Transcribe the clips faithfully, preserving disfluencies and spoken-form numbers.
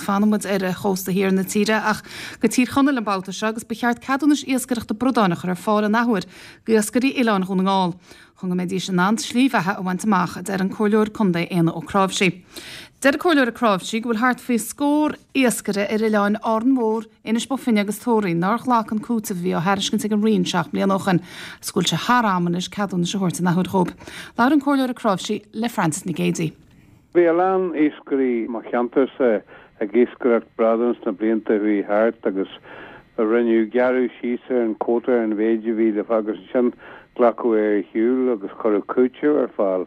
fanfaidh muid ar chósta thiar na tíre ach go Tír Chonaill an babhta seo agus ba cheart ceadúnais iascaireachta bradáin a chur ar fáil an athuair d'iascairí Oileáin Dhún na nGall. Chun go mbeidís in ann slí bheatha a bhaint amach a deir an Comhairleoir Contae Éanna Ó Cnáimhsí. Deir an Comhairleoir Ó Cnáimhsí go bhfuil thart faoi scór iascaire ar oileáin Árainn Mhór, Inis Bó Finne agus Tóraí nár ghlac an cúiteamh a bhí á thairiscint ag an Roinn seacht mbliana ó shin, agus go bhfuil sé thar am anois ceadúnais a thabhairt an athuair dhóibh. Labhair an Comhairleoir Ó Cnáimhsí le Frances Nic Géadaigh. Bhí a lán iascairí mo cheantarsa ag iascaireacht bradán sna blianta a bhí thart agus rinneadh gearradh síos ar an quota ar an mhéid a bhí le agus sin glacadh ar shiúl agus cuireadh cúiteamh ar fáil.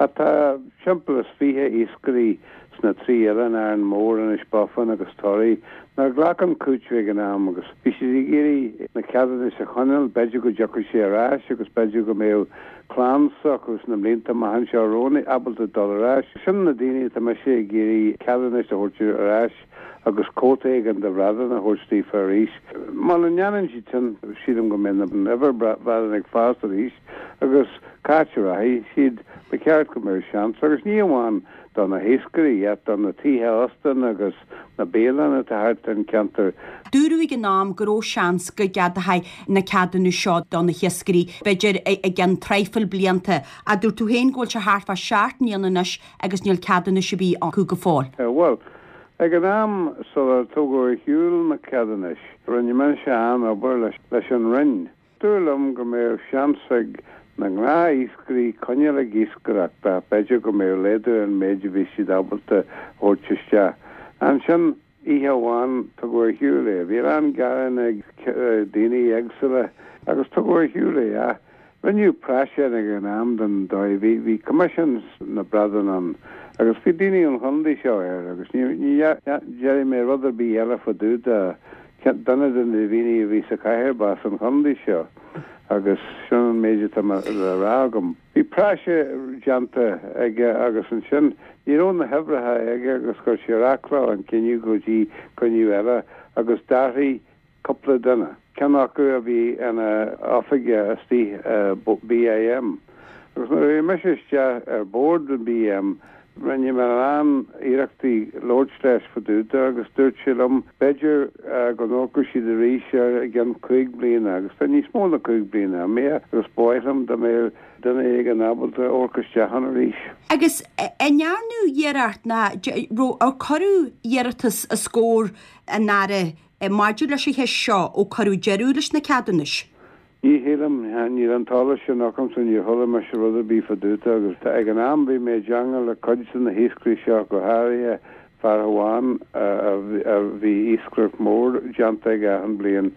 Tá timpeall is fiche iascairí sna trí oileán Árainn Mhór Inis Bó Finne agus Toraí nár ghlac an cúiteamh ag an am agus bhí siad ag iarraidh na ceadúnais a choinneáil, b'fhéidir go dtiocfadh sé ar ais agus b'fhéidir go mbeadh clann s'acu sna blianta amach anseo romhainn ábalta dul ar ais. Sin na daoine atá mise ag iarraidh ceadúnais a thabhairt ar ais agus cuóta éigin de bhradán a thabhairt daofa arís. Muna ndéanann siad sin sílim go mbeidh an uimhir bradán ag fás arís agus cá háit a rachaidh siad ba cheart go mbeadh seans agus ní amháin do na hiascairí ach do na tithe óstáin agus na bialanna atá thart an ceantar. Dúradh ag an am go raibh seans go gceadófaí na ceadúnais seo do na hiascairí, b'fhéidir i gceann traidhfil blianta, a dúirt tú féin go bhfuil sé thart fá seacht mbliana anois agus níl ceadúnais ar bith acu go fóill. Well, ag an am sular tugadh ar shiúl na ceadúnais, rinne mise an-obair leis leis an Roinn. Dúradh liom go mbeadh seans ag na gnáth-iascairí coinneáil ag iascaireacht b'fhéidir go mbeadh laghdú an méid a bhí siad ábalta thabhairt isteach. Ansin oíche amháin tugadh ar shiúl é, bhí an-ghearán ag daoine éagsúla agus tugadh ar shiúl é a. Rinneadh praiseach ag an am den dóigh bhí bhí coimisiún na bradán ann agus bhí daoine an chontae seo air agus ní déarfaidh mé rud ar bith eile fá dtaobh de duine de na daoine a bhí sa chathaoir b'as an chontae seo agus sin an méid atá le rá agam. Bhí praiseach déanta aige agus ansin ní raibh na huimhreacha aige agus chuir sé ar athló an cinneadh go dtí cruinniú eile agus d'athraigh cúpla duine. Ceann acu a bhí ina oifigeach istigh BIM. Agus nuair a bhí mise isteach ar bord an BIM, rinne mé an-iarrachtaí labhairt leis fá dtaobh de agus dúirt sé liom b'fhéidir go n-amharcfadh siad arís ar i gceann cúig bliana agus tá níos mó ná cúig bliana imithe agus ba mhaith liom dá mbeadh duine éigin ábalta amharc isteach ann arís. Agus an ndearnadh iarracht ná ar cuireadh iarratas os comhair an Aire maidir leis an cheist seo ó cuireadh deireadh leis na ceadúnais. Ní shílim níl an t-eolas sin agamsa níor chuala mise rud ar bith fá dtaobh de agus ag an am bhí mé i dteagmháil le cuid de na hiascairí seo go háirithe fear amháin a bhí iascaireacht mór déanta aige achan bliain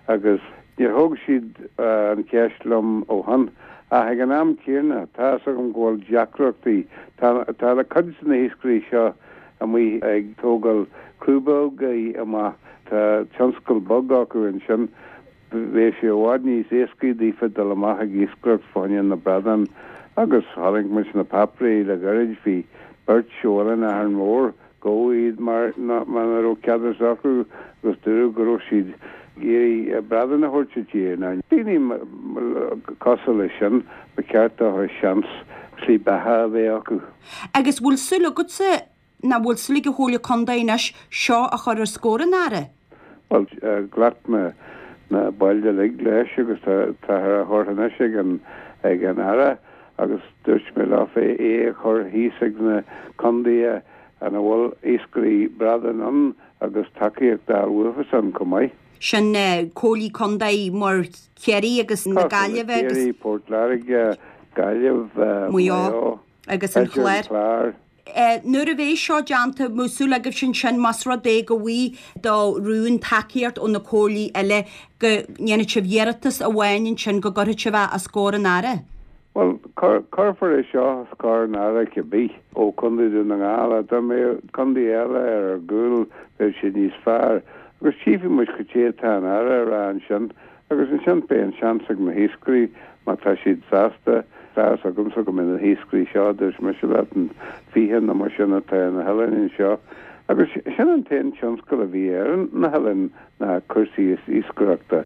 agus níor thóg siad an cheist liom ó shin ach ag an am céanna tá agam go bhfuil deacrachtaí tá le cuid de na hiascairí seo amuigh ag tógáil crúbógaí amach tá tionscal beag acu ansin bhí sé i bhfad níos éascaí daofa dul amach ag iascaireacht fá choinne na bradán agus tháinig muid na páipéirí le gairid bhí beirt oileán Árainn Mhór go iad mar mar raibh ceadúnas acu agus dúradh go raibh siad iarraidh bradán a thabhairt i dtír ná daoine cosúil leis sin ba cheart dóibh seans slí beatha a bheith acu. Agus bhfuil súil agatsa ná bhfuil súil ag an Chomhairle Contae anois seo a chur os comhair an Aire? Well ghlac na na baill uilig leis agus tá a chur anois ag an ag an Aire agus dúirt mé leofa é a chur thíos ag na contaetha ina bhfuil iascairí bradán ann agus tacaíocht a bhuafas an chomh maith. Sin comhairlí contae mar Chiarraí agus na Gaillimhe agus Ciarraí, Port Láirge, Gaillimh, Maigh Eo agus an Chlár. Nuair a bheidh seo déanta bhfuil súil agaibh sin sin más rud é go bhfaighidh do rún tacaíocht ó na comhairlí eile go ndéanfaidh sibh iarratas amháin ansin go gcuirfidh sibh é os comhair an Aire. Well cuirfear é seo os comhair an Aire cibé ó Chontae Dhún na nGall dá mbeadh contae eile ar ár gcúl bheadh sé níos fearr agus tchífidh muid cad é atá an Aire a rá ansin agus ansin beidh an seans ag na hiascairí má tá siad sásta tá agamsa go mbeidh na hiascairí seo dúirt mise leat an fiche nó mar sin atá na hoileáin seo agus sin an t-aon tionscal a bhí ar na hoileáin na cúrsaí iascaireachta.